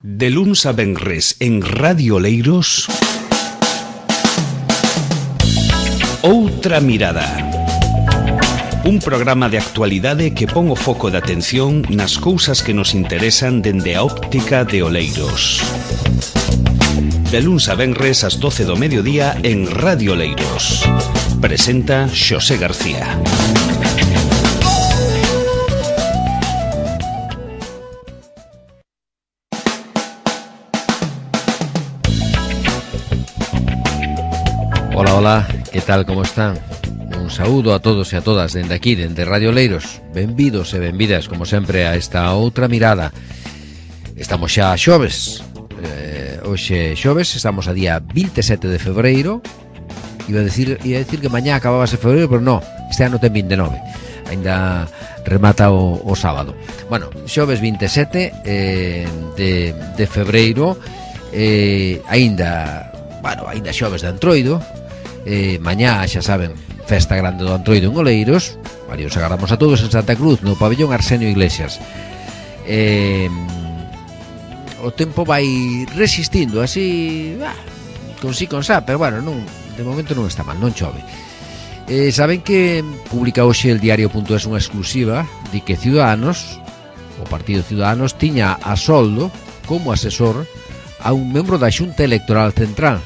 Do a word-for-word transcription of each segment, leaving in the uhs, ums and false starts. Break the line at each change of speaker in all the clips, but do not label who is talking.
De luns a venres en Radio Oleiros, Outra Mirada. Un programa de actualidade que pon o foco de atención nas cousas que nos interesan dende a óptica de Oleiros. De luns a venres ás doce do mediodía en Radio Oleiros. Presenta Xosé García.
Hola, hola, que tal, como están? Un saúdo a todos e a todas dende aquí, dende Radio Oleiros. Benvidos e benvidas, como sempre, a esta outra mirada. Estamos xa a xoves. eh, Hoxe xoves, estamos a día vinte e sete de febreiro. Iba a decir, iba a decir que mañá acababase febreiro, pero no, este ano ten vinte e nove. Ainda remata o, o sábado. Bueno, xoves vinte e sete eh, de, de febreiro. eh, Ainda, bueno, ainda xoves de Antroido. Eh, mañá, xa saben, festa grande do Antroido en Oleiros. Vale, os agarramos a todos en Santa Cruz, no pabellón Arsenio Iglesias. eh, O tempo vai resistindo así, ah, con si con sa, pero bueno, non, de momento non está mal, non chove. eh, Saben que publica hoxe el diario punto es unha exclusiva de que Ciudadanos, o Partido Ciudadanos, tiña a soldo como asesor a un membro da Xunta Electoral Central.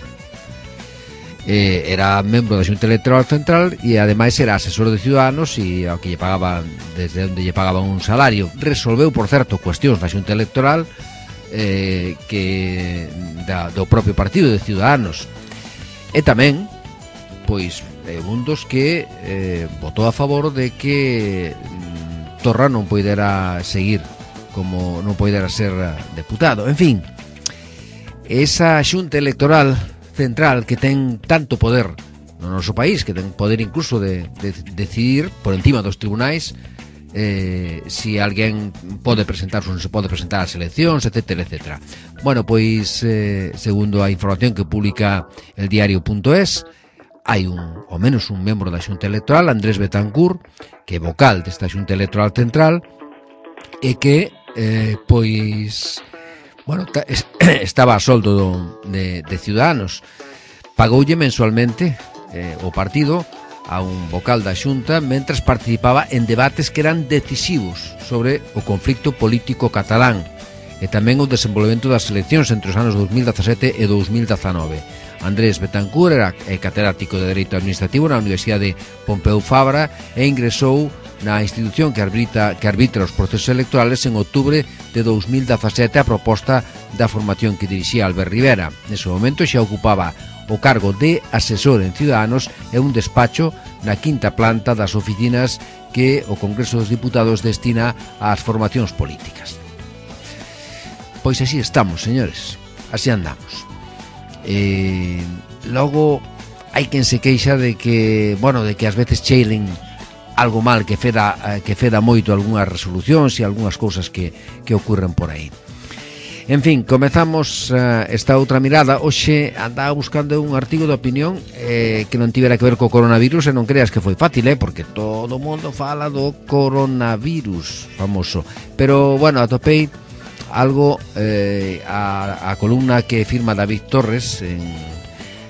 Eh, era membro da Xunta Electoral Central e ademais era asesor de Ciudadanos e ao que lle pagaban, desde onde lle pagaban un salario. Resolveu, por certo, cuestións da Xunta Electoral eh, que da, do propio partido de Ciudadanos. E tamén, pois, é un dos que eh, votou a favor de que mm, Torra non poidera seguir como non poidera ser deputado. En fin, esa Xunta Electoral Central que ten tanto poder no noso país, que ten poder incluso de, de, de decidir por encima dos tribunais eh, si alguén pode presentarse ou non se pode presentar ás eleccións, etcétera, etcétera. Bueno, pois eh, segundo a información que publica el diario punto es, hai un, ao menos un membro da Xunta Electoral, Andrés Betancourt, que é vocal desta Xunta Electoral Central, e que eh, pois bueno, estaba a soldo do, de, de Ciudadanos. Pagoulle mensualmente eh, o partido a un vocal da Xunta mentras participaba en debates que eran decisivos sobre o conflicto político catalán e tamén o desenvolvemento das eleccións entre os anos dos mil dezasete e dos mil dezanove. Andrés Betancourt era catedrático de Dereito Administrativo na Universidade Pompeu Fabra e ingresou na institución que arbitra, que arbitra os procesos electorales en outubro de dos mil dezasete a proposta da formación que dirixía Albert Rivera. Nese momento xa ocupaba o cargo de asesor en Ciudadanos e un despacho na quinta planta das oficinas que o Congreso dos Diputados destina ás formacións políticas. Pois así estamos, señores, así andamos. Eh, logo hai quen se queixa de que, bueno, de que ás veces cheilen algo mal, que feda, que feda moito algunhas resolucións e algunhas cousas que, que ocurren por aí. En fin, comezamos uh, esta outra mirada. Hoxe andaba buscando un artigo de opinión eh, que non tivera que ver co coronavirus, e non creas que foi fácil, eh, porque todo o mundo fala do coronavirus famoso. Pero, bueno, atopei algo, eh, a, a columna que firma David Torres en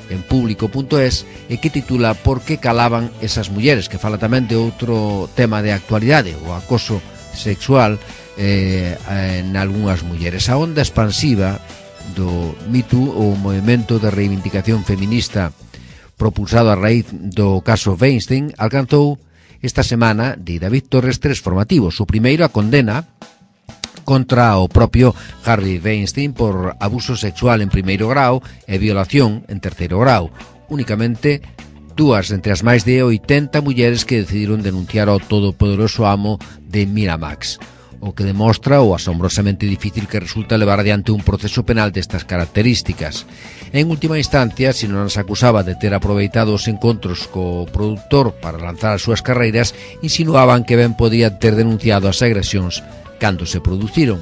en público punto es e que titula Por que calaban esas mulleres, que fala tamén de outro tema de actualidade, o acoso sexual eh, en algunhas mulleres. A onda expansiva do Me Too, o movimento de reivindicación feminista propulsado a raíz do caso Weinstein, alcanzou esta semana, de David Torres, tres formativos. O primeiro, a condena contra o propio Harvey Weinstein por abuso sexual en primeiro grau e violación en terceiro grau. Únicamente dúas entre as máis de oitenta mulleres que decidiron denunciar ao todopoderoso amo de Miramax, o que demostra o asombrosamente difícil que resulta levar adiante un proceso penal destas características. En última instancia, se non as acusaba de ter aproveitado os encontros co produtor para lanzar as súas carreiras, insinuaban que ben podía ter denunciado as agresións cando se produciron.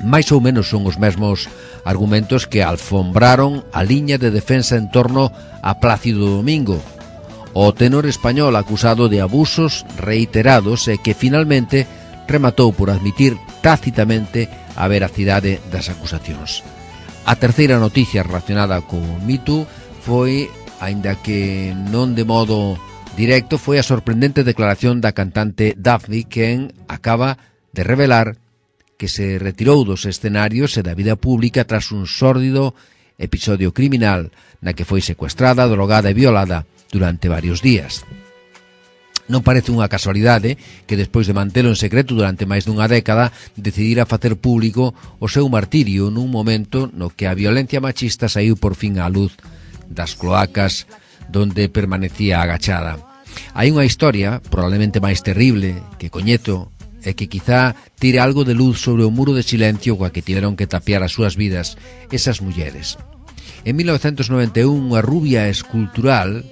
Mais ou menos son os mesmos argumentos que alfombraron a liña de defensa en torno a Plácido Domingo, o tenor español acusado de abusos reiterados e que finalmente rematou por admitir tácitamente a veracidade das acusacións. A terceira noticia relacionada co Me Too foi, aínda que non de modo directo, foi a sorprendente declaración da cantante Daphne, quen acaba de revelar que se retirou dos escenarios e da vida pública tras un sórdido episodio criminal na que foi secuestrada, drogada e violada durante varios días. Non parece unha casualidade que despois de mantelo en secreto durante máis dunha década decidira facer público o seu martirio nun momento no que a violencia machista saiu por fin á luz das cloacas donde permanecía agachada. Hai unha historia, probablemente máis terrible, que coñezo e que quizá tire algo de luz sobre o muro de silencio coa que tiveron que tapiar as súas vidas esas mulleres. En mil novecentos noventa e un, unha rubia escultural,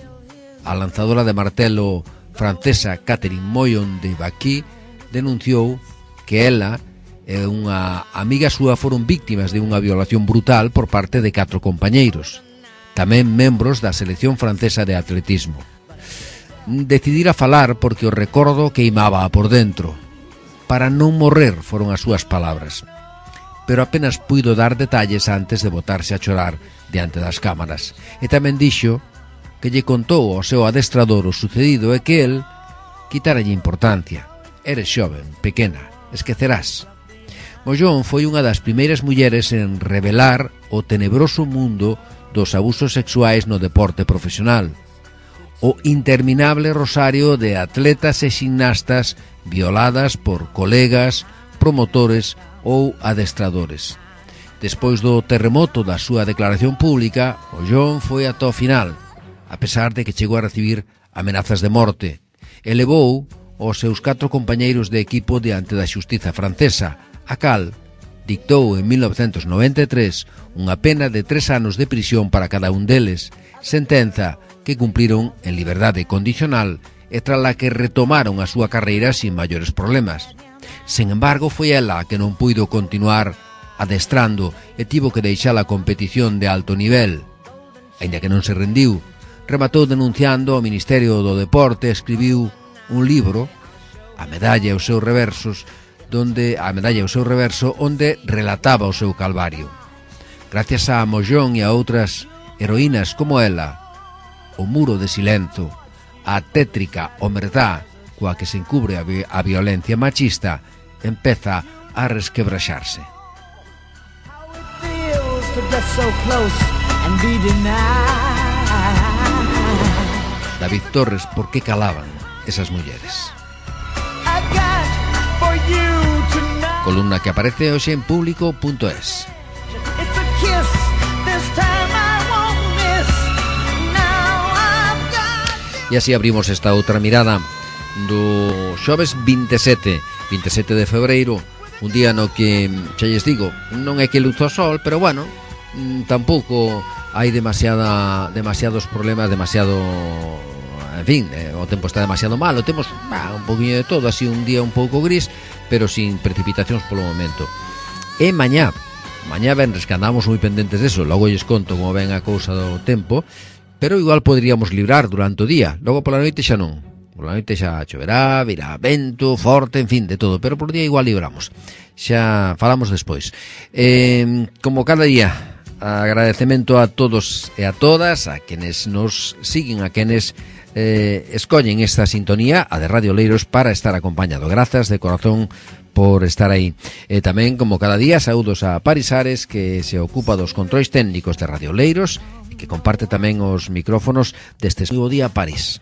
a lanzadora de martelo francesa Catherine Moyon de Baquí, denunciou que ela e unha amiga súa foron víctimas de unha violación brutal por parte de catro compañeiros, tamén membros da selección francesa de atletismo. Decidira falar porque o recordo queimaba por dentro. Para non morrer foron as súas palabras, pero apenas puido dar detalles antes de botarse a chorar diante das cámaras. E tamén dixo que lle contou ao seu adestrador o sucedido e que el quitaralle importancia. Eres xoven, pequena, esquecerás. Mollón foi unha das primeiras mulleres en revelar o tenebroso mundo dos abusos sexuais no deporte profesional, o interminable rosario de atletas e ximnastas violadas por colegas, promotores ou adestradores. Despois do terremoto da súa declaración pública, Mollón foi ata o final, a pesar de que chegou a recibir amenazas de morte, e levou os seus catro compañeiros de equipo diante da xustiza francesa, a cal dictou en mil novecentos noventa e tres unha pena de tres anos de prisión para cada un deles, sentenza que cumpriron en liberdade condicional e tras la que retomaron a súa carreira sin maiores problemas. Sen embargo, foi ela que non puido continuar adestrando e tivo que deixar a competición de alto nivel. Aínda que non se rendiu, rematou denunciando ao Ministerio do Deporte e escribiu un libro, A medalla e os seus reversos, donde a medalla e o seu reverso, onde relataba o seu calvario. Gracias a Mollón e a outras heroínas como ela, o muro de silencio, a tétrica omertá coa que se encubre a, vi a violencia machista, empeza a resquebraxarse. David Torres, por que calaban esas mulleres? Columna que aparece hoxe en público punto es. E así abrimos esta outra mirada do xoves vinte e sete de febreiro, un día no que, xa lles digo, non é que luzo o sol, pero bueno, tampouco hai demasiada, demasiados problemas, demasiado, en fin, eh, o tempo está demasiado malo, temos bah, un poquinho de todo, así un día un pouco gris, pero sin precipitacións polo momento. E mañá, mañá venres que andamos moi pendentes deso, logo lles conto como ven a cousa do tempo, pero igual poderíamos librar durante o día, logo pola noite xa non. Pola noite xa choverá, virá vento forte, en fin, de todo, pero por día igual libramos. Xa falamos despois. Eh, como cada día, agradecemento a todos e a todas, a quenes nos siguen, a quenes eh, escollen esta sintonía, a de Radio Oleiros, para estar acompañado. Grazas de corazón por estar aí. E tamén, como cada día, saúdos a Paris Ares, que se ocupa dos controis técnicos de Radio Oleiros, que comparte tamén os micrófonos deste moi bo día, París.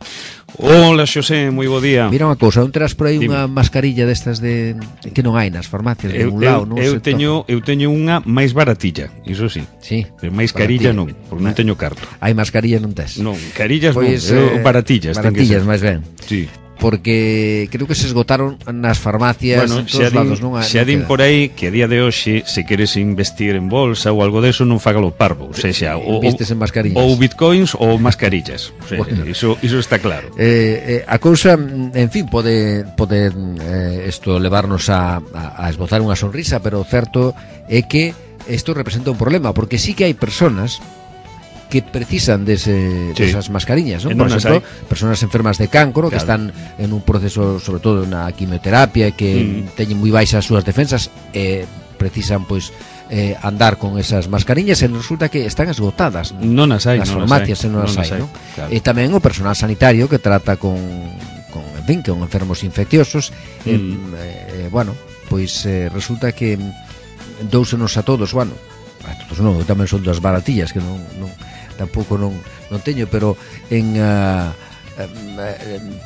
Hola, Xosé, moi bo día.
Mira unha cousa, non terás por aí unha mascarilla destas de que non hai nas farmacias de un lado, non?
Eu teño eu teño unha máis baratilla, iso sí.
Sí.
Pero máis carilla non, porque non teño carto.
Hai mascarillas non tes?
Non, carillas
pois,
non, eh, baratillas,
baratillas máis ben.
Sí.
Porque creo que se esgotaron nas farmacias,
bueno,
en todos lados, non?
Xa din por aí que a día de hoxe, se queres investir en bolsa ou algo deso, non fagalo parvo, ou seja, ou,
investes en mascarillas,
ou bitcoins ou mascarillas, o sea, bueno, iso, iso está claro.
Eh, eh, a cousa, en fin, pode pode eh, esto levarnos a, a, a esbozar unha sonrisa, pero o certo é que isto representa un problema, porque sí que hai personas que precisan dese, sí. desas mascarillas, ¿no? Por exemplo, hay. personas enfermas de cancro, claro, que están en un proceso, sobre todo na quimioterapia, que mm. teñen moi baixas as súas defensas, e precisan pois eh, andar con esas mascarillas e resulta que están esgotadas
non as hai,
nas
non
farmacias e non as hai, non? Claro. E tamén o personal sanitario que trata con, con en fin, con enfermos infecciosos mm. eh, eh, bueno, pois eh, resulta que dousenos a todos, bueno, a todos non, tamén son das baratillas que non, non tampouco non, non teño, pero en uh,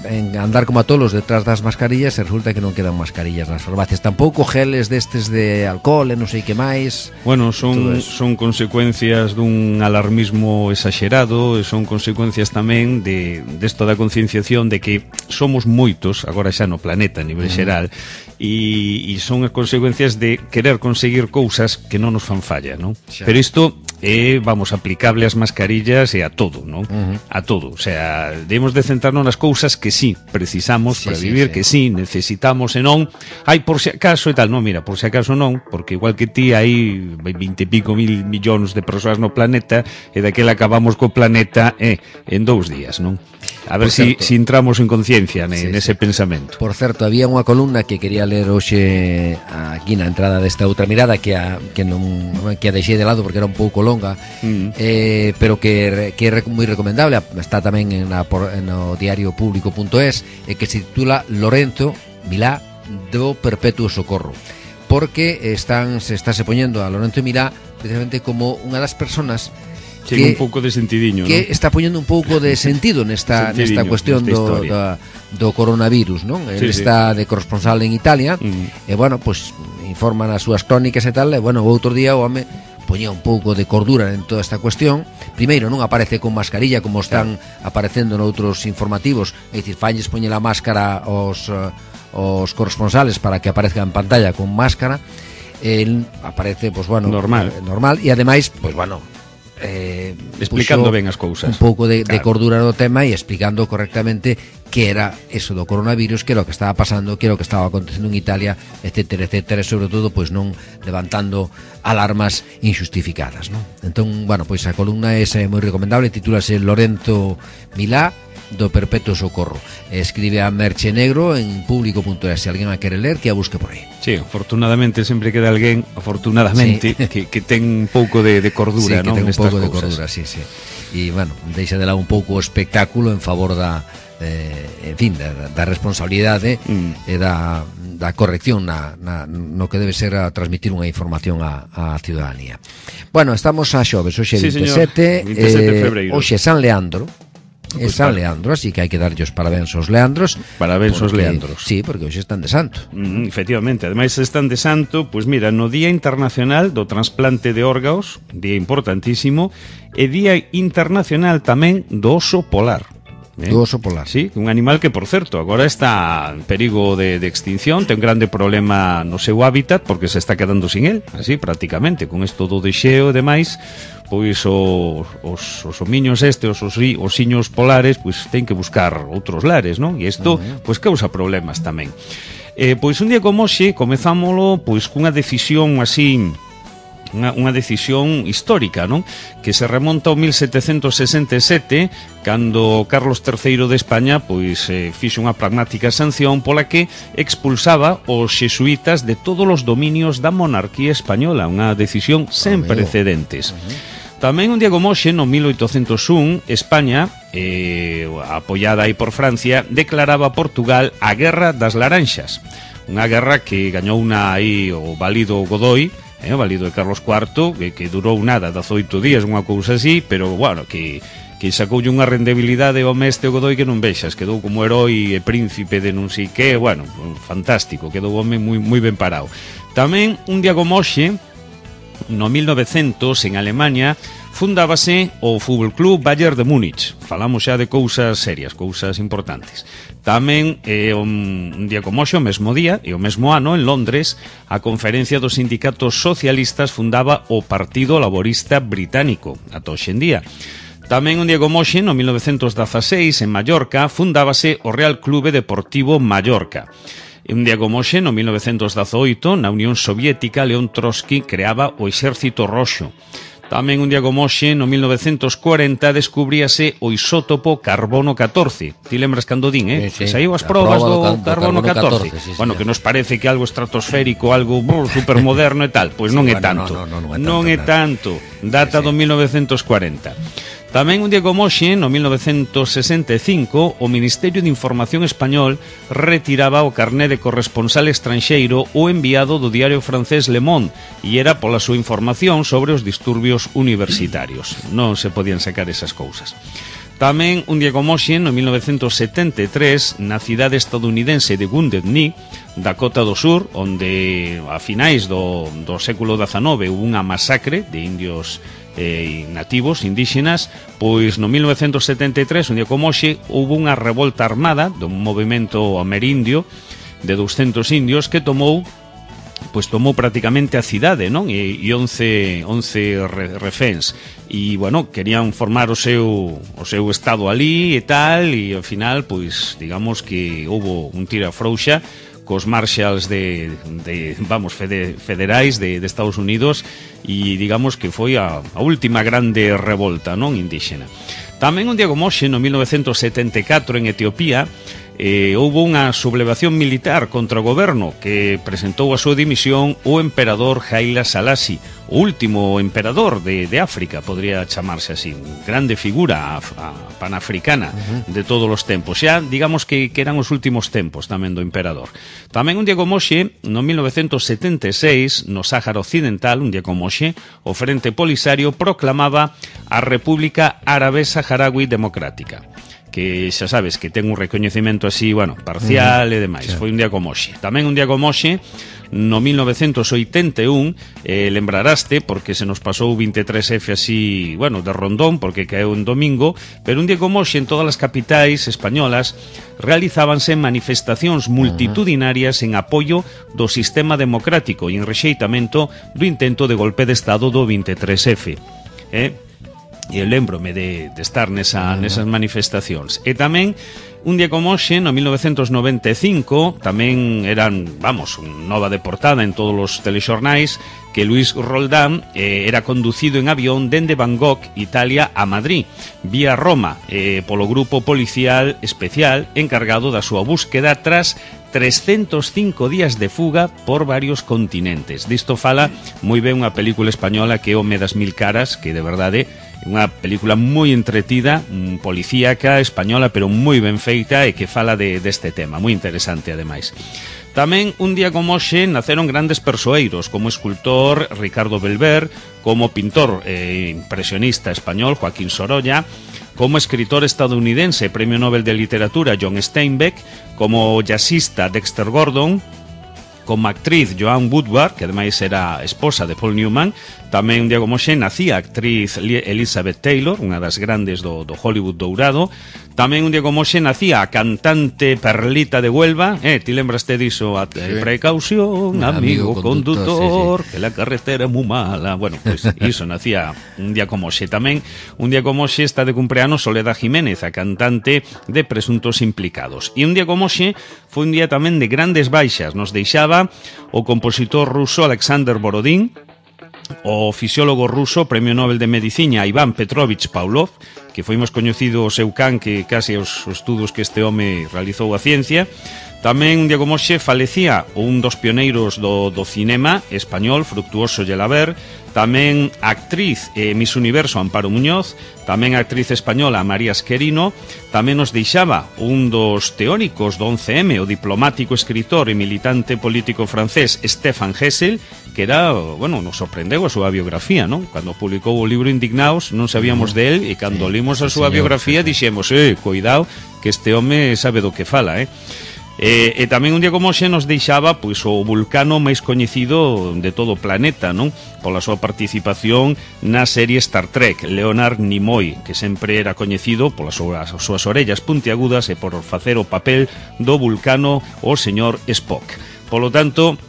en andar como a tolos detrás das mascarillas e resulta que non quedan mascarillas nas farmacias, tampouco geles destes de alcohol e non sei que máis.
Bueno, son son consecuencias dun alarmismo exagerado e son consecuencias tamén de desto da concienciación de que somos moitos agora xa no planeta a nivel xeral e, e son as consecuencias de querer conseguir cousas que non nos fan falla, non? Pero isto é, vamos, aplicable ás mascarillas e a todo, non? Uh -huh. A todo, o sea, debemos de centrarnos nas cousas que sí precisamos sí, para vivir, sí, sí. que sí necesitamos e non hai por si acaso e tal, non, mira, por si acaso non, porque igual que ti hai vinte e pico mil millóns de persoas no planeta e daquela acabamos co planeta eh, en dous días, non? A ver si, si entramos en conciencia ne, sí, nese sí. pensamento.
Por certo, había unha columna que quería ler hoxe aquí na entrada desta outra mirada que a, que non que a deixei de lado porque era un pouco longa, mm. eh, pero que, que é moi recomendable, está tamén en na, por, no diario público punto es, e que se titula Lorenzo Milá do Perpetuo Socorro, porque están se está se poñendo a Lorenzo Milá precisamente como unha das personas
que, que un pouco de sentidiño,
que
¿no?
está poñendo un pouco de sentido nesta nesta cuestión do, do do coronavirus, non? Sí, Ele está sí. de corresponsal en Italia mm. e bueno, pois pues, informan as súas crónicas e tal, e bueno, o outro día o home poñía un pouco de cordura en toda esta cuestión. Primeiro, non aparece con mascarilla como están claro. aparecendo noutros informativos, é dicir, falles poñer a máscara aos os corresponsales para que aparezca en pantalla con máscara. El aparece, pois pues, bueno,
normal,
normal e ademais, pois pues, bueno, eh,
explicando ben as cousas,
un pouco de, claro. de cordura no tema e explicando correctamente que era eso do coronavirus, que era o que estaba pasando, que era o que estaba acontecendo en Italia, etcétera, etcétera, e sobre todo pois non levantando alarmas injustificadas, non? Entón, bueno, pois a columna esa é moi recomendable, titúlase Lorenzo Milá do Perpetuo Socorro. Escribe a Merche Negro en público punto es. Se alguén a quere ler, que a busque por aí.
Sí, afortunadamente sempre queda alguén, afortunadamente, sí. que, que ten un pouco de, de cordura,
sí,
non?
Que ten un pouco de cordura, sí, sí. E, bueno, deixa de lado un pouco o espectáculo en favor da, eh, en fin, da, da responsabilidade mm. e da, da corrección na, na, no que debe ser a transmitir unha información á, á ciudadanía. Bueno, estamos a xoves, hoxe é sí, vinte e sete,
vinte e sete de febreiro.
Hoxe é San Leandro. É pues San Leandro, así que hai que darlle os parabéns aos Leandros.
Parabéns aos Leandros.
Sí, porque hoxe están de santo.
Mm, efectivamente, ademais están de santo, pois pues mira, no Día Internacional do Transplante de Órganos, día importantísimo, e Día Internacional tamén do Oso Polar.
¿Eh? Do oso polar.
Sí, un animal que, por certo, agora está en perigo de, de extinción, ten un grande problema no seu hábitat porque se está quedando sin el, así prácticamente, con esto do deixeo e demais, pois os, os, os homiños este, os, os osiños polares, pois ten que buscar outros lares, non? E isto, uh-huh. pois causa problemas tamén. Eh, pois un día como hoxe comezámolo pois cunha decisión así, Unha, unha decisión histórica, non? Que se remonta ao mil setecentos sesenta e sete, cando Carlos terceiro de España pois eh, fixo unha pragmática sanción pola que expulsaba os xesuítas de todos os dominios da monarquía española, unha decisión sen precedentes. Tamén un día como hoxe, no mil oitocentos un, España, eh, apoiada aí por Francia, declaraba a Portugal a Guerra das Laranxas, unha guerra que gañou unha aí o válido Godoy, Eh, válido de Carlos cuarto, que, que durou nada, dezoito días, unha cousa así, pero, bueno, que, que sacoulle unha rendibilidade ao mestre Godoy que non vexas, quedou como herói e príncipe de non sei que, bueno, fantástico, quedou home moi, moi ben parado. Tamén, un día como hoxe, no mil novecientos, en Alemania, fundábase o Fútbol Club Bayern de Múnich. Falamos xa de cousas serias, cousas importantes. Tamén, eh, un, un día como hoxe, o mesmo día, e o mesmo ano, en Londres, a Conferencia dos Sindicatos Socialistas fundaba o Partido Laborista Británico, ata hoxe en día. Tamén un día como hoxe, no mil novecientos dezaseis, en Mallorca, fundábase o Real Clube Deportivo Mallorca. E un día como hoxe, no mil novecientos dezoito, na Unión Soviética, León Trotsky creaba o Exército Roxo. Tamén un día como hoxe, no mil novecentos cuarenta, descubríase o isótopo carbono catorce. Ti lembras cando din, eh?
Sí, sí.
Saiu as
A
probas
proba
do,
do can- do
carbono
carbono
catorce.
catorce, sí,
Bueno,
señor.
que nos parece que algo estratosférico, algo brr, supermoderno e tal. Pois non
Sí,
é
bueno,
tanto.
no, no, non é
Non
tanto,
é
nada.
tanto. Data
Sí, sí.
do mil novecentos cuarenta. Tamén un día como hoxe, no mil novecentos sesenta e cinco, o Ministerio de Información Español retiraba o carné de corresponsal estranxeiro o enviado do diario francés Le Monde, e era pola súa información sobre os disturbios universitarios. Non se podían sacar esas cousas. Tamén un día como hoxe, no mil novecentos setenta e tres, na cidade estadounidense de Wounded Knee, Dakota do Sur, onde a finais do, do século dezanove hubo unha masacre de indios eh, nativos, indígenas, pois no mil novecentos setenta e tres, un día como hoxe, hubo unha revolta armada dun movimento amerindio de douscentos indios que tomou pois tomou prácticamente a cidade, non? E, e once, once re, reféns. E, bueno, querían formar o seu, o seu estado ali e tal, e ao final, pois, digamos que houbo un tira frouxa cos marshals de, de vamos, fede, federais de, de Estados Unidos, e digamos que foi a, a última grande revolta, non, indígena. Tamén un día como hoxe, no mil novecentos setenta e catro, en Etiopía, eh, houve unha sublevación militar contra o goberno que presentou a súa dimisión o emperador Haile Selassie, o último emperador de, de África, podría chamarse así, grande figura a, a panafricana uh-huh. de todos os tempos. Xa, digamos que, que eran os últimos tempos tamén do emperador. Tamén un día como hoxe, no mil novecentos setenta e seis, no Sáhara Occidental, un día como hoxe, o Frente Polisario proclamaba a República Árabe Saharaui Democrática, que xa sabes que ten un recoñecemento así, bueno, parcial uh-huh. e demais. Sí. Foi un día como hoxe. Tamén un día como hoxe, no mil novecentos oitenta e un, eh, lembraraste, porque se nos pasou veintitrés efe así, bueno, de rondón, porque caeu un domingo, pero un día como hoxe en todas as capitais españolas realizábanse manifestacións multitudinarias en apoio do sistema democrático e en rexeitamento do intento de golpe de Estado do veintitrés efe. Eh? E eu lembrome de, de estar nesa, nesas manifestacións. E tamén, un día como hoxe, no mil novecentos noventa e cinco, tamén eran, vamos, nova de portada en todos os telexornais, que Luis Roldán eh, era conducido en avión dende Bangkok, Italia, a Madrid, vía Roma, eh, polo grupo policial especial encargado da súa búsqueda tras trescentos cinco días de fuga por varios continentes. Disto fala moi ben unha película española que é O me das mil caras, que de verdade é unha película moi entretida, policíaca, española, pero moi ben feita e que fala de, deste tema, moi interesante ademais. Tamén un día como hoxe naceron grandes persoeiros, como escultor Ricardo Belver, como pintor eh, impresionista español Joaquín Sorolla, como escritor estadounidense, Premio Nobel de Literatura John Steinbeck, como jazzista Dexter Gordon, como actriz Joan Woodward, que ademais era esposa de Paul Newman. Tamén un día como hoxe nacía a actriz Elizabeth Taylor, unha das grandes do, do Hollywood dourado. Tamén un día como hoxe nacía a cantante Perlita de Huelva, eh, ti lembraste diso, a, eh, precaución, amigo, amigo conductor, sí, sí. que la carretera é moi mala. Bueno, pois pues, iso nacía un día como hoxe. Tamén un día como hoxe está de cumpleanos Soledad Jiménez, a cantante de Presuntos Implicados. E un día como hoxe foi un día tamén de grandes baixas. Nos deixaba o compositor ruso Alexander Borodín, o fisiólogo ruso, Premio Nobel de Medicina Iván Petrovich Pavlov, que foi máis coñecido o seu can que case os estudos que este home realizou a ciencia. Tamén un día como hoxe falecía un dos pioneiros do, do cinema español, Fructuoso Gelaber. Tamén a actriz eh, Miss Universo Amparo Muñoz, tamén a actriz española María Esquerino. Tamén nos deixaba un dos teóricos do once eme, o diplomático, escritor e militante político francés Stéphane Hessel, que era, bueno, nos sorprendeu a súa biografía, non? Cando publicou o libro Indignaos non sabíamos de él, e cando sí, limos a súa señor, biografía sí, dixemos, eh, cuidado, que este home sabe do que fala, eh? E, e tamén un día como hoxe nos deixaba pois o vulcano máis coñecido de todo o planeta, non? Pola súa participación na serie Star Trek, Leonard Nimoy, que sempre era coñecido polas súas, as súas orellas puntiagudas e por facer o papel do vulcano o señor Spock. Polo tanto,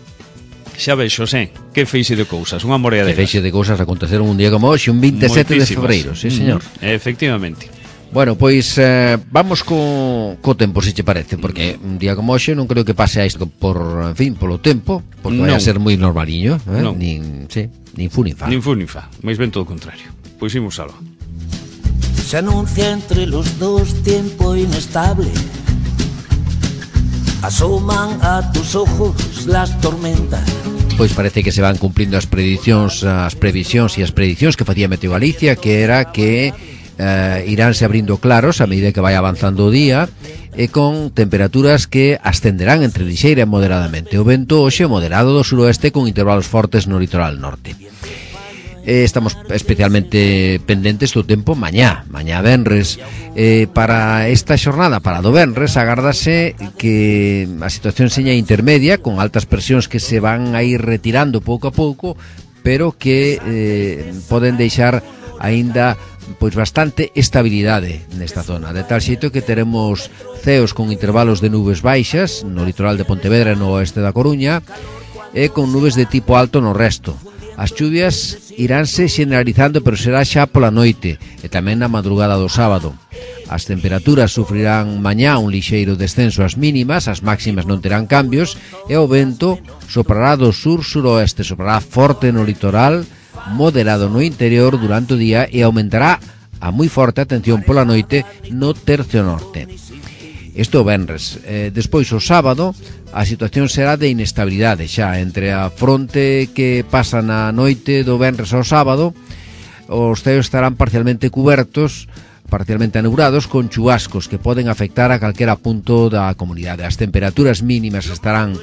xa vexo, xe, que feixe de cousas, unha morea de
que feixe de cousas aconteceron un día como hoxe, un veintisiete de febreiro, sí, señor.
Mm, efectivamente.
Bueno, pois eh, vamos co, co tempo, se che parece, porque un día como hoxe non creo que pase a isto por, en fin, polo tempo, porque non vai a ser moi normaliño, eh?
Non.
Nin, sí, nin fu nin fa.
Nin fu nin fa, máis ben todo o contrario. Pois imos algo.
Se anuncia entre los dos tiempo inestable. Asoman a tus ojos las tormentas.
Pois parece que se van cumplindo as predicións, as previsións e as predicións que facía Meteo Galicia, que era que eh, iránse abrindo claros a medida que vai avanzando o día e con temperaturas que ascenderán entre lixeira e moderadamente. O vento hoxe moderado do suroeste con intervalos fortes no litoral norte. Eh, estamos especialmente pendentes do tempo mañá, mañá venres. Eh, para esta xornada, para do venres, agárdase que a situación seña intermedia, con altas presións que se van a ir retirando pouco a pouco, pero que eh, poden deixar aínda pois bastante estabilidade nesta zona, de tal xeito que teremos ceos con intervalos de nubes baixas no litoral de Pontevedra e no oeste da Coruña e con nubes de tipo alto no resto. As chuvias iránse generalizando, pero será xa pola noite e tamén na madrugada do sábado. As temperaturas sufrirán mañá un lixeiro descenso ás mínimas, as máximas non terán cambios e o vento soprará do sur-suroeste, soprará forte no litoral, moderado no interior durante o día e aumentará a moi forte atención pola noite no tercio norte. Isto o venres. Eh, despois o sábado a situación será de inestabilidade xa entre a fronte que pasa na noite do venres ao sábado. Os ceos estarán parcialmente cubertos, parcialmente anubrados, con chubascos que poden afectar a calquera punto da comunidade. As temperaturas mínimas estarán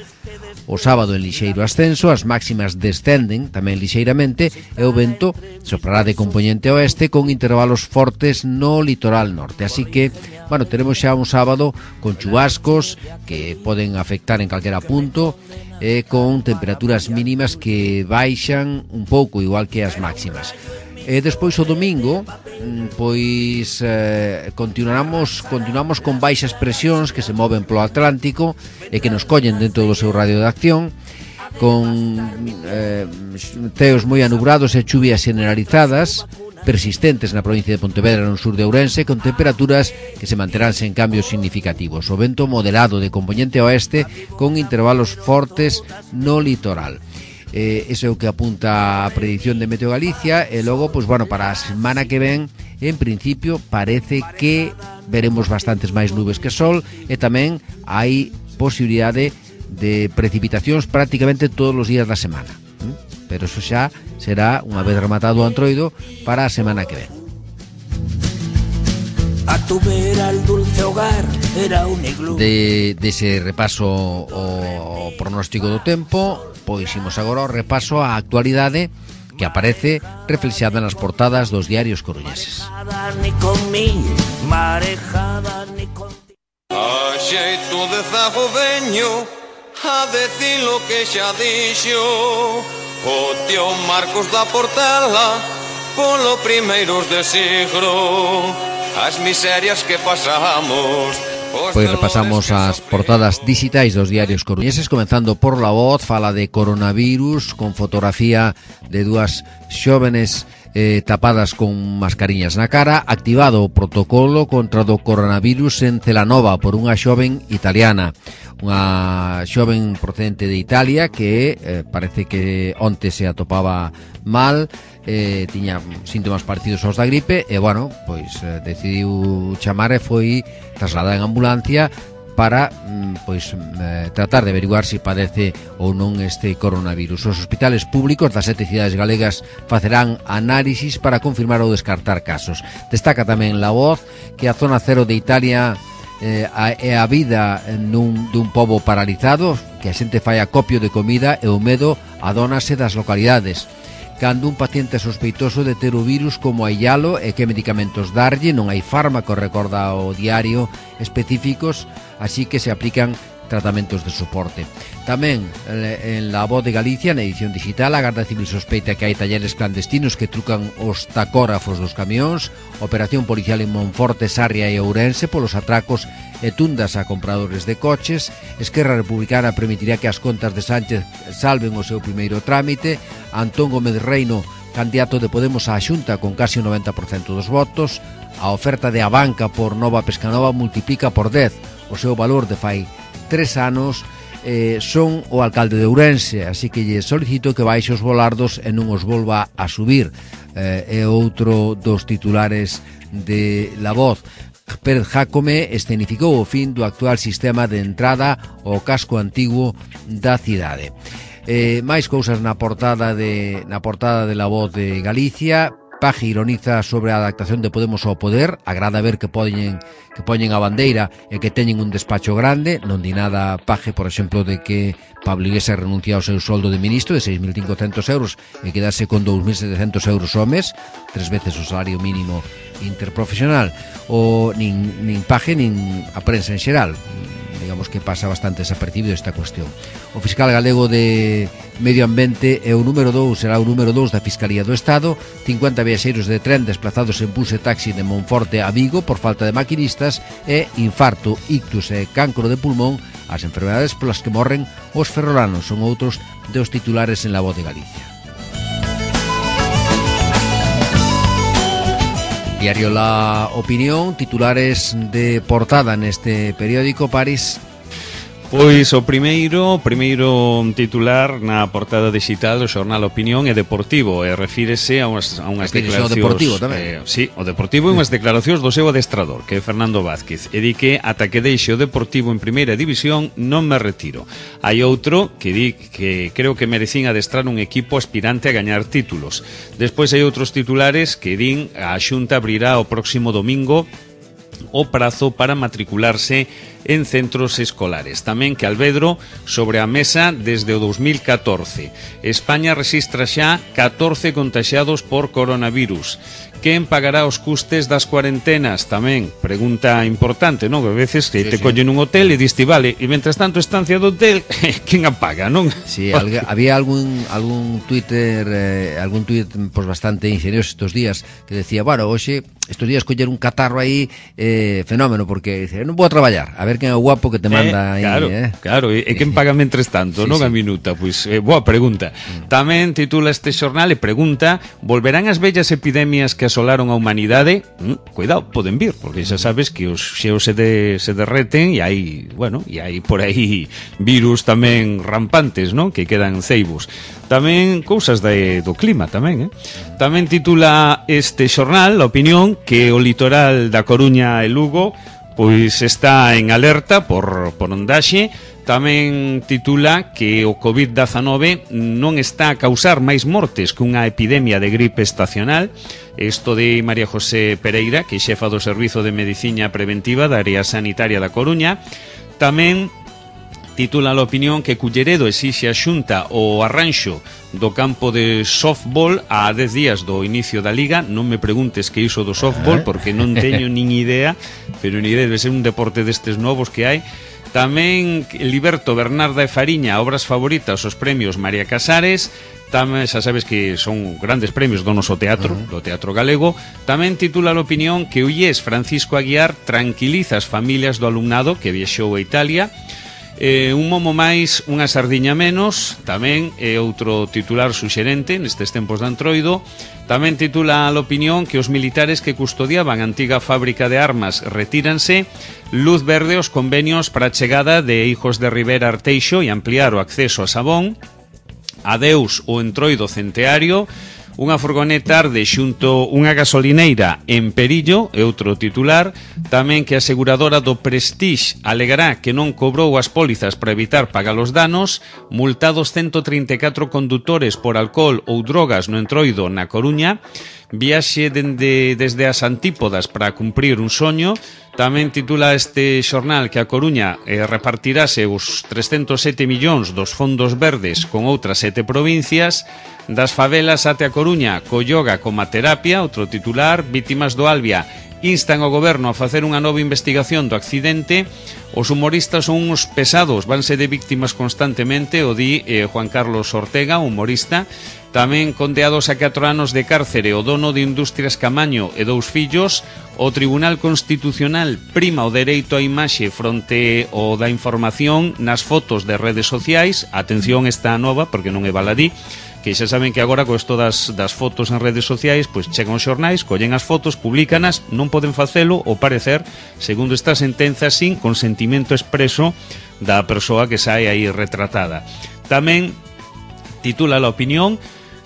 o sábado en lixeiro ascenso, as máximas descenden tamén lixeiramente e o vento soprará de compoñente oeste con intervalos fortes no litoral norte. Así que, bueno, teremos xa un sábado con chubascos que poden afectar en calquera punto e con temperaturas mínimas que baixan un pouco, igual que as máximas. E despois o domingo pois eh, continuamos continuamos con baixas presións que se moven polo Atlántico e que nos collen dentro do seu radio de acción, con eh, ceos moi anubrados e chuvias generalizadas persistentes na provincia de Pontevedra no sur de Ourense, con temperaturas que se manterán sen cambios significativos. O vento moderado de compoñente oeste con intervalos fortes no litoral. Eh, ese é o que apunta a predicción de Meteo Galicia. E logo, pois bueno, para a semana que ven, en principio parece que veremos bastantes máis nubes que sol e tamén hai posibilidade de precipitacións prácticamente todos os días da semana, pero eso xa será unha vez rematado o antroido para a semana que ven.
A tu vera el dulce hogar era un iglú.
De, de ese repaso o pronóstico do tempo, pois imos agora ao repaso á actualidade que aparece reflexada nas portadas dos diarios coruñeses.
A xeito de zago veño a decir lo que xa dixo o tío Marcos da Portela polo primeiros de siglo, as miserias que pasamos.
Pois repasamos as portadas digitais dos diarios coruñeses, comenzando por La Voz. Fala de coronavirus con fotografía de dúas xóvenes eh, tapadas con mascariñas na cara. Activado o protocolo contra do coronavirus en Celanova por unha xoven italiana, unha xoven procedente de Italia que eh, parece que onte se atopaba mal, eh, tiña síntomas parecidos aos da gripe e, bueno, pois eh, decidiu chamar e foi trasladada en ambulancia para pois eh, tratar de averiguar se si padece ou non este coronavirus. Os hospitales públicos das sete cidades galegas facerán análisis para confirmar ou descartar casos. Destaca tamén La Voz que a zona cero de Italia é eh, a, a vida nun, dun pobo paralizado, que a xente fai acopio de comida e o medo adónase das localidades. Cando un paciente sospeitoso de ter o virus, como aillalo e que medicamentos darlle, non hai fármaco, recorda o diario, específicos, así que se aplican tratamentos de soporte. Tamén en La Voz de Galicia, na edición digital, a Garda Civil sospeita que hai talleres clandestinos que trucan os tacógrafos dos camións. Operación policial en Monforte, Sarria e Ourense polos atracos e tundas a compradores de coches. Esquerra Republicana permitirá que as contas de Sánchez salven o seu primeiro trámite. Antón Gómez Reino candidato de Podemos á Xunta con casi o noventa por cento dos votos. A oferta de Abanca por Nova Pescanova multiplica por dez o seu valor de fai tres anos. Eh, son o alcalde de Ourense, así que lle solicito que baixe os volardos e non os volva a subir. Eh, é outro dos titulares de La Voz. Pérez Jácome escenificou o fin do actual sistema de entrada ao casco antigo da cidade. Eh, máis cousas na portada de na portada de La Voz de Galicia. Paje ironiza sobre a adaptación de Podemos ao poder. Agrada ver que poñen que poñen a bandeira e que teñen un despacho grande. Non di nada Paje, por exemplo, de que Pablo Iglesias renuncia ao seu soldo de ministro de seis mil cincocentos euros e quedase con dous mil setecentos euros ao mes, tres veces o salario mínimo interprofesional. O nin, nin Paje nin a prensa en xeral, digamos que pasa bastante desapercibido esta cuestión. O fiscal galego de Medio Ambiente é o número dous, será o número dous da Fiscalía do Estado. cincuenta viaxeiros de tren desplazados en bus e taxi de Monforte a Vigo por falta de maquinistas, e infarto, ictus e cancro de pulmón, as enfermedades polas que morren os ferrolanos. Son outros dos titulares en La Voz de Galicia. Diario La Opinión, titulares de portada neste periódico, París.
Pois o primeiro, o primeiro titular na portada digital do xornal Opinión é deportivo e refírese a unhas, a unhas declaracións. O deportivo tamén. Eh, sí, o deportivo e unhas declaracións do seu adestrador, que é Fernando Vázquez, e di que ata que deixe o Deportivo en primeira división non me retiro. Hai outro que di que creo que merecín adestrar un equipo aspirante a gañar títulos. Despois hai outros titulares que din a Xunta abrirá o próximo domingo o prazo para matricularse en centros escolares. Tamén que Alvedro sobre a mesa desde o dos mil catorce. España rexistra xa catorce contaxiados por coronavirus. Quen pagará os custes das cuarentenas? Tamén, pregunta importante, non? Que a veces que sí, te sí. collen un hotel e diste vale, e mentras tanto estancia do hotel, quen a paga, non?
Sí, alg- había algún algún Twitter, eh, algún tuit pues, bastante ingenioso estos días que decía, bueno, hoxe estos días coller un catarro aí eh, fenómeno, porque dice, non vou a traballar, a ver quen é o guapo que te manda
eh,
aí,
claro,
eh?
Claro, e, e quen paga mentres tanto, sí, non? Sí. A minuta, pois, eh, boa pregunta. Mm. Tamén titula este xornal e pregunta, volverán as vellas epidemias que asolaron a humanidade? Mm, cuidado, poden vir, porque xa sabes que os xeos se, de, se derreten e hai, bueno, e hai por aí virus tamén rampantes, non? Que quedan ceibos. Tamén cousas de, do clima, tamén, eh? Tamén titula este xornal, a Opinión, que o litoral da Coruña e Lugo pois está en alerta por, por ondaxe. Tamén titula que o covid dezanove non está a causar máis mortes que unha epidemia de gripe estacional. Isto de María José Pereira, que é xefa do Servizo de Medicina Preventiva da Área Sanitaria da Coruña. Tamén titula a Opinión que Culleredo exixe a Xunta o arranxo do campo de softball a dez días do inicio da Liga. Non me preguntes que iso do softball, porque non teño nin idea, pero ni idea, debe ser un deporte destes novos que hai. Tamén Liberto Bernarda e Fariña, obras favoritas, os premios María Casares. Tamén, xa sabes que son grandes premios do noso teatro, uh-huh. do teatro galego. Tamén titula a Opinión que o I E S Francisco Aguiar tranquiliza as familias do alumnado que viaxou a Italia. Eh, un momo máis, unha sardiña menos. Tamén é outro titular suxerente nestes tempos de Antroido. Tamén titula a Opinión que os militares que custodiaban a antiga fábrica de armas retíranse. Luz verde aos convenios para a chegada de Hijos de Rivera Arteixo e ampliar o acceso a Sabón. Adeus o Entroido centeario. Unha furgoneta arde xunto unha gasolineira en Perillo, é outro titular. Tamén que a aseguradora do Prestige alegará que non cobrou as pólizas para evitar pagar os danos. Multados ciento trinta e catro condutores por alcohol ou drogas no Entroido na Coruña. Viaxe dende, desde as antípodas para cumprir un soño. Tamén titula este xornal que a Coruña eh, repartirase os trescentos sete millóns dos fondos verdes con outras sete provincias. Das favelas até a Coruña, co yoga como terapia, outro titular. Vítimas do Albia instan ao goberno a facer unha nova investigación do accidente. Os humoristas son uns pesados, vanse de víctimas constantemente, o di eh, Juan Carlos Ortega, humorista. Tamén condeados a catro anos de cárcere o dono de Industrias Camaño e dous fillos. O Tribunal Constitucional prima o dereito á imaxe fronte o da información nas fotos de redes sociais. Atención esta nova, porque non é baladí. que xa saben que agora co isto das, das fotos en redes sociais, pois chegan os xornais, collen as fotos, publicanas, non poden facelo, ao parecer, segundo esta sentenza, sin consentimento expreso da persoa que sae aí retratada. Tamén titula La Opinión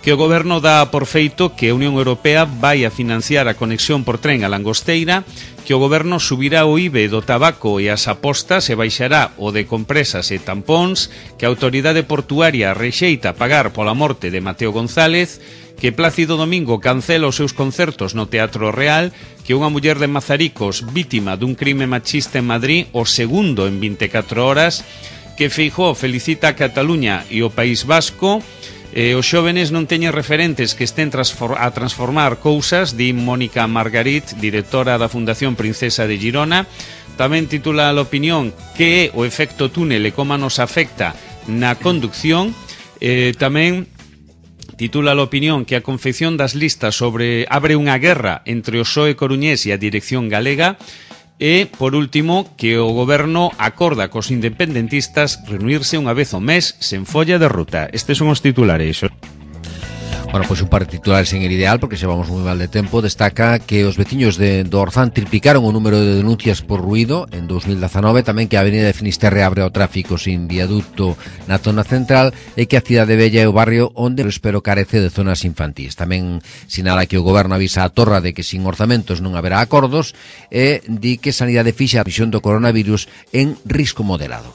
que o goberno dá por feito que a Unión Europea vai a financiar a conexión por tren a Langosteira, que o goberno subirá o I V A do tabaco e as apostas e baixará o de compresas e tampóns, que a autoridade portuaria rexeita pagar pola morte de Mateo González, que Plácido Domingo cancela os seus concertos no Teatro Real, que unha muller de Mazaricos vítima dun crime machista en Madrid, o segundo en vinte e catro horas, que Feijóo felicita a Cataluña e o País Vasco. Eh, os xóvenes non teñen referentes que estén transfor- a transformar cousas, di Mónica Margarit, directora da Fundación Princesa de Girona. Tamén titula a opinión que é o efecto túnel e como nos afecta na conducción. Eh, tamén titula a opinión que a confección das listas sobre abre unha guerra entre o P S O E coruñés e a dirección galega. E, por último, que o goberno acorda cos independentistas reunirse unha vez ao mes sen folla de ruta. Estes son os titulares.
Bueno, pois un par de titulares en el ideal, porque se vamos moi mal de tempo. Destaca que os veciños de, do Orzán triplicaron o número de denuncias por ruido en dos mil dezanove, tamén que a Avenida de Finisterre abre ao tráfico sin viaducto na zona central e que a Cidade Bella é o barrio onde o espero carece de zonas infantís. Tamén sinala que o goberno avisa a Torra de que sin orzamentos non haberá acordos e di que Sanidade fixa a visión do coronavirus en risco moderado.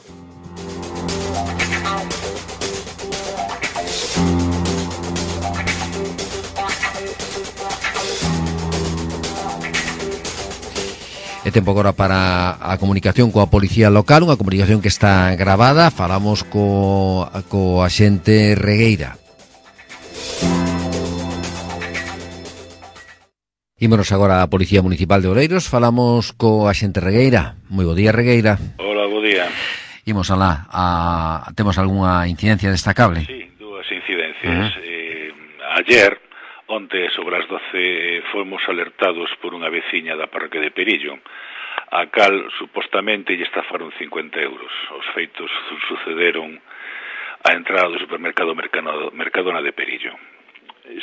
É tempo agora para a comunicación coa policía local, unha comunicación que está gravada. Falamos co, co axente Regueira. Ímonos agora á Policía Municipal de Oleiros. Falamos co axente Regueira. Moi bo día, Regueira.
Hola, bo día.
Imos alá. A, temos algunha incidencia destacable?
Sí, dúas incidencias. Uh-huh. eh, ayer, onte, sobre as doce, fomos alertados por unha veciña da parroquia de Perillo, a cal, supostamente, lle estafaron cincuenta euros. Os feitos sucederon á entrada do supermercado Mercadona de Perillo.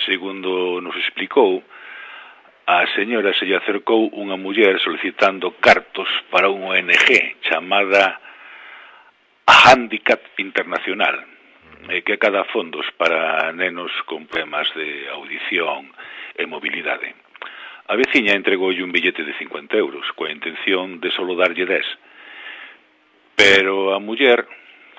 Segundo nos explicou, a señora se lle acercou unha muller solicitando cartos para unha O N G chamada Handicap Internacional, e que cada fondos para nenos con problemas de audición e mobilidade. A veciña entregoulle un billete de cincuenta euros, coa intención de solo darlle dez. Pero a muller,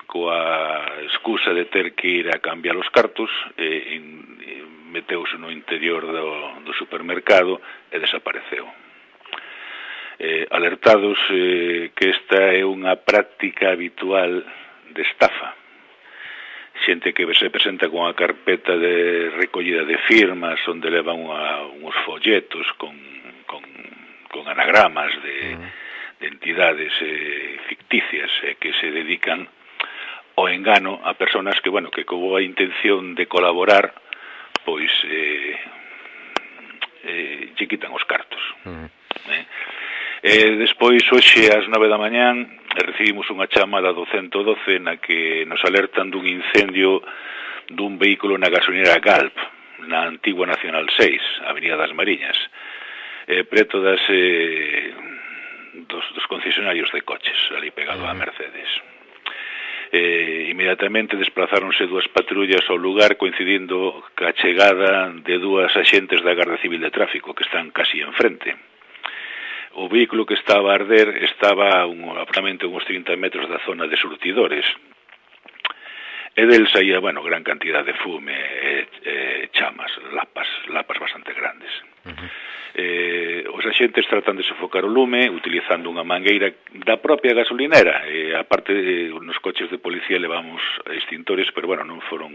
coa excusa de ter que ir a cambiar os cartos, eh, in, eh, meteuse no interior do, do supermercado e desapareceu. Eh, alertados eh, que esta é unha práctica habitual de estafa. Xente que se presenta con a carpeta de recollida de firmas onde levan unha, uns folletos con, con, con anagramas de, de entidades eh, ficticias eh, que se dedican ao engano a personas que, bueno, que con a intención de colaborar, pois eh, eh, lle quitan os cartos. Uh-huh. eh? Eh, despois, hoxe, ás nove da mañán, recibimos unha chamada do ciento doce na que nos alertan dun incendio dun vehículo na gasolinera Galp, na antigua Nacional seis, Avenida das Mariñas, eh, preto das, eh, dos, dos concesionarios de coches, ali pegado a Mercedes. Eh, inmediatamente desplazáronse dúas patrullas ao lugar, coincidindo ca chegada de dúas axentes da Garda Civil de Tráfico, que están casi enfrente. O vehículo que estaba a arder estaba un, aproximadamente uns trinta metros da zona de surtidores. E del saía, bueno, gran cantidad de fume e, e chamas, lapas, lapas bastante grandes. Uh-huh. Eh, os axentes tratan de sofocar o lume utilizando unha mangueira da propia gasolinera. E, aparte, eh, nos coches de policía levamos extintores, pero, bueno, non foron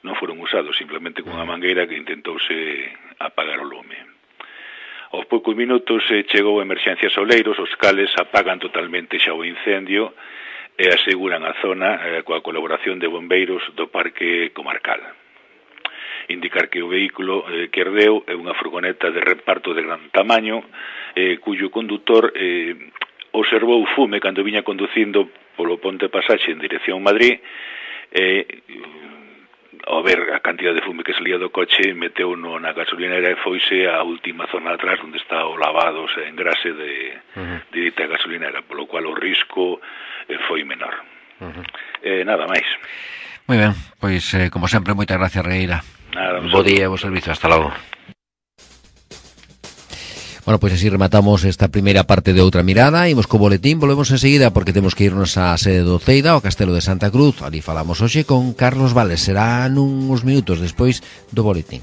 non foron usados, simplemente con unha mangueira que intentouse apagar o lume. Aos poucos minutos eh, chegou a Emerxencias Oleiros, os cales apagan totalmente xa o incendio e aseguran a zona eh, coa colaboración de bombeiros do Parque Comarcal. Indicar que o vehículo eh, que ardeu é unha furgoneta de reparto de gran tamaño, eh, cuyo condutor eh, observou fume cando viña conducindo polo Ponte Pasaxe en dirección Madrid, e eh, ao ver a cantidad de fume que salía do coche, meteu no na gasolinera e foise á última zona atrás onde está o lavado, o sea, engrase de, uh-huh. de dita gasolinera, polo cual o risco eh, foi menor. Uh-huh. Eh, nada máis.
Moi ben, pois, eh, como sempre, moitas gracias, Regueira.
Nada,
bo día e bo servizo, hasta logo. Bueno, pois así rematamos esta primeira parte de Outra Mirada. Imos co boletín, volvemos enseguida porque temos que irnos á sede do Ceida, ao Castelo de Santa Cruz. Ali falamos hoxe con Carlos Vales, será nuns minutos despois do boletín.